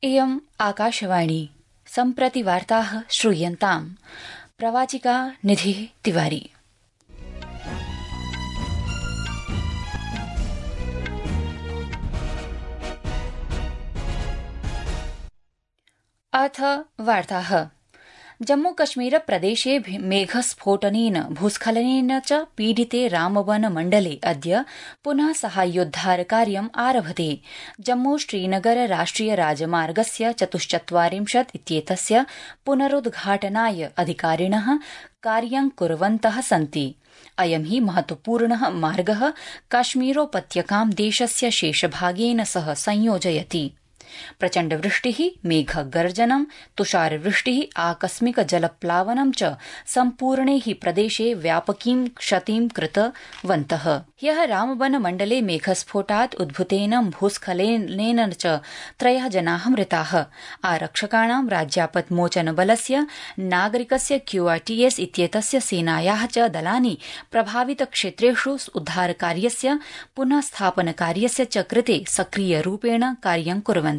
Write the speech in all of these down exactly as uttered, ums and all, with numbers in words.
इयम् आकाशवाणी सम्प्रति वार्ताः श्रूयन्ताम्। प्रवाचिका निधिः तिवारी। अथ वार्ताः। जम्मू कश्मीर प्रदेशे मेघस्फोटनेन भूस्खलनेन च पीडिते रामबन मण्डले अद्य पुनः साहाय्योद्धारकार्यम् आरभते। जम्मू श्रीनगर राष्ट्रिय राजमार्गस्य चतुश्चत्वारिंशत् इत्येतस्य पुनरुद्घाटनाय अधिकारिणः कार्यं कुर्वन्तः सन्ति। अयं हि महत्वपूर्णः मार्गः काश्मीरोपत्यकां देशस्य शेषभागेन सह संयोजयति। प्रचण्डवृष्टिः, मेघगर्जनं, तुषारवृष्टिः, आकस्मिक जलप्लावनं च सम्पूर्णे हि प्रदेशे व्यापकीं क्षतिं कृतवन्तः। ह्यः रामबन मण्डले मेघस्फोटात् उद्भूतेन भूस्खलनेन च त्रयः जनाः मृताः। आरक्षकाणां, राज्यापत्मोचनबलस्य, नागरिकस्य क्यूआरटीएस इत्येतस्य सेनायाः च दलानि प्रभावितक्षेत्रेषु उद्धारकार्यस्य पुनः स्थापनकार्यस्य च कृते सक्रियरूपेण कार्यं कुर्वन्ति।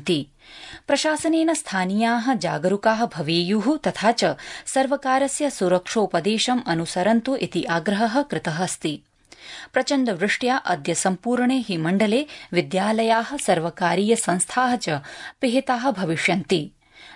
प्रशासनेन स्थानीयाः जागरूकाः भवेयुः तथा च सर्वकारस्य सुरक्षोपदेशम् अनुसरन्तु इति आग्रहः कृतः अस्ति। प्रचण्डवृष्ट्या अद्य सम्पूर्णे हि मण्डले विद्यालयाः, सर्वकारीय संस्थाः च पिहिताः भविष्यन्ति।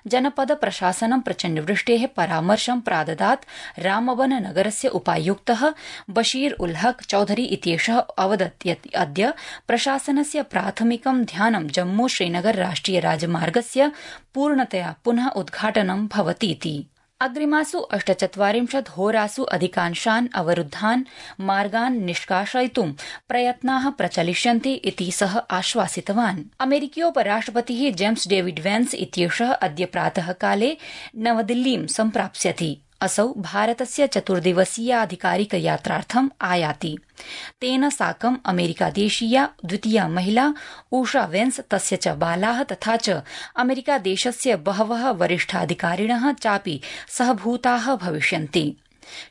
जनपद प्रशासनं प्रचण्डवृष्टेः परामर्शं प्राददात्। रामबन नगरस्य उपायुक्तः बशीर उल हक चौधरी इत्येषः अवदत् यत् अद्य प्रशासनस्य प्राथमिकं ध्यानं जम्मू श्रीनगर राष्ट्रिय राजमार्गस्य पूर्णतया पुनः उद्घाटनं भवतीति। अग्रिमासु अष्टचत्वारिंशत् होरासु अधिकांशान् अवरुद्धान् मार्गान् निष्कासयितुं प्रयत्नाः प्रचलिष्यन्ति इति सः आश्वासितवान्। अमेरिकीयोपराष्ट्रपतिः जेम्स डेविड वेन्स इत्येषः अद्य प्रातःकाले नवदिल्लीं सम्प्राप्स्यति। असौ भारतस्य चतुर्दिवसीयाधिकारिक यात्रार्थम् आयाति। तेन साकम् अमेरिकादेशीया द्वितीया महिला ऊषा वेन्स, तस्य च बालाः तथा च अमेरिकादेशस्य बहवः वरिष्ठाधिकारिणः चापि सहभूताः भविष्यन्ति।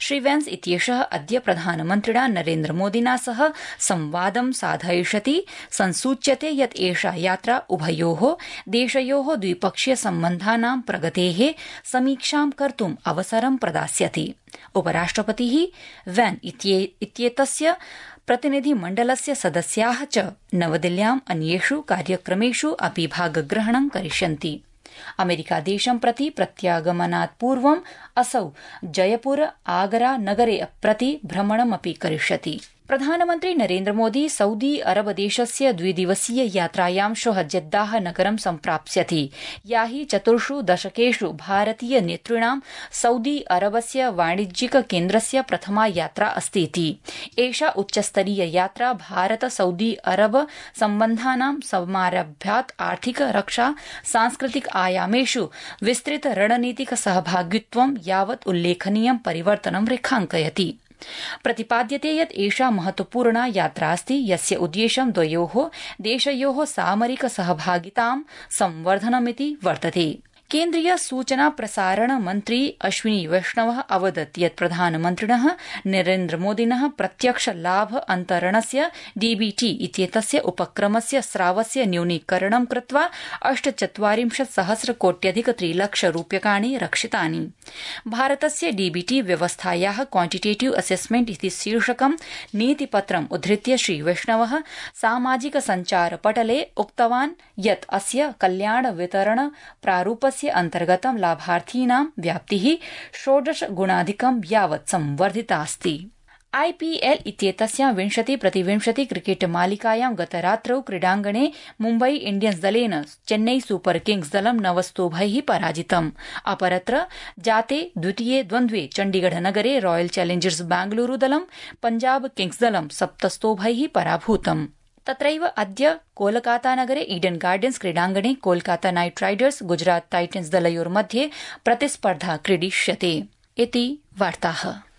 श्री वेन्स इत्येषः अद्य प्रधानमन्त्रिणा नरेन्द्रमोदिना सह संवादं साधयिष्यति। संसूच्यते यत् एषा यात्रा उभयोः देशयोः द्विपक्षीय सम्बन्धानां प्रगतेः समीक्षां कर्तुम् अवसरं प्रदास्यति। उपराष्ट्रपतिः वेन् इत्येतस्य प्रतिनिधिमण्डलस्य सदस्याः च नवदिल्ल्याम् अन्येषु कार्यक्रमेषु अपि भागग्रहणं करिष्यन्ति। अमेरिकादेशं प्रति प्रत्यागमनात् पूर्वम् असौ जयपुर, आगरा नगरे प्रति भ्रमणमपि करिष्यति। प्रधानमन्त्री नरेन्द्रमोदी सऊदी अरब देशस्य द्विदिवसीय यात्रायां श्वः जेद्दाह नगरं सम्प्राप्स्यति। या हि चतुर्षु दशकेषु भारतीय नेतॄणां सऊदी अरबस्य वाणिज्यिक केन्द्रस्य प्रथमा यात्रा अस्तीति। एषा उच्चस्तरीय यात्रा भारत सऊदी अरब सम्बन्धानां समारभ्यात् आर्थिक, रक्षा, सांस्कृतिक आयामेषु विस्तृत रणनीतिक सहभागित्वं यावत् उल्लेखनीयं परिवर्तनं रेखाङ्कयति। प्रतिपाद्यते यत् एषा महत्वपूर्णा यात्रा अस्ति, यस्य उद्देश्यं द्वयोः देशयोः सामरिक सहभागितां संवर्धनमिति वर्तते। केन्द्रीय सूचना प्रसारण मन्त्री अश्विनी वैष्णवः अवदत् यत् प्रधानमन्त्रिणः नरेन्द्रमोदिनः प्रत्यक्ष लाभ अन्तरणस्य डीबीटी इत्येतस्य उपक्रमस्य स्रावस्य न्यूनीकरणं कृत्वा अष्टचत्वारिंशत् सहस्र कोट्यधिक त्रिलक्ष रूप्यकाणि रक्षितानि। भारतस्य डीबीटी व्यवस्थायाः क्वान्टिटेटिव असेसमेंट इति शीर्षकं नीतिपत्रम् उद्धृत्य श्री वैष्णवः सामाजिक सञ्चार पटले उक्तवान् यत् अस्य कल्याण वितरण प्रारूपस्य अन्तर्गतं लाभार्थीनां व्याप्तिः षोडश गुणाधिकं यावत् संवर्धितास्ति। आईपीएल इत्येतस्यां विंशति प्रतिविंशति क्रिकेट मालिकायां गतरात्रौ क्रीडाङ्गणे मुम्बई इण्डियन्स दलेन चेन्नई सुपर किंग्स दलं नवस्तोभैः पराजितम्। अपरत्र जाते द्वितीये द्वन्द्वे चण्डीगढ़ नगरे रॉयल चैलेंजर्स बेंगलुरू दलं पंजाब किंग्स दलं सप्तस्तोभैः पराभूतम्। तत्रैव अद्य कोलकातानगरे ईडन गार्डन्स क्रीडाङ्गणे Kolkata night Riders Gujarat titans दलयोर्मध्ये प्रतिस्पर्धा क्रीडिष्यते। इति वार्ताः।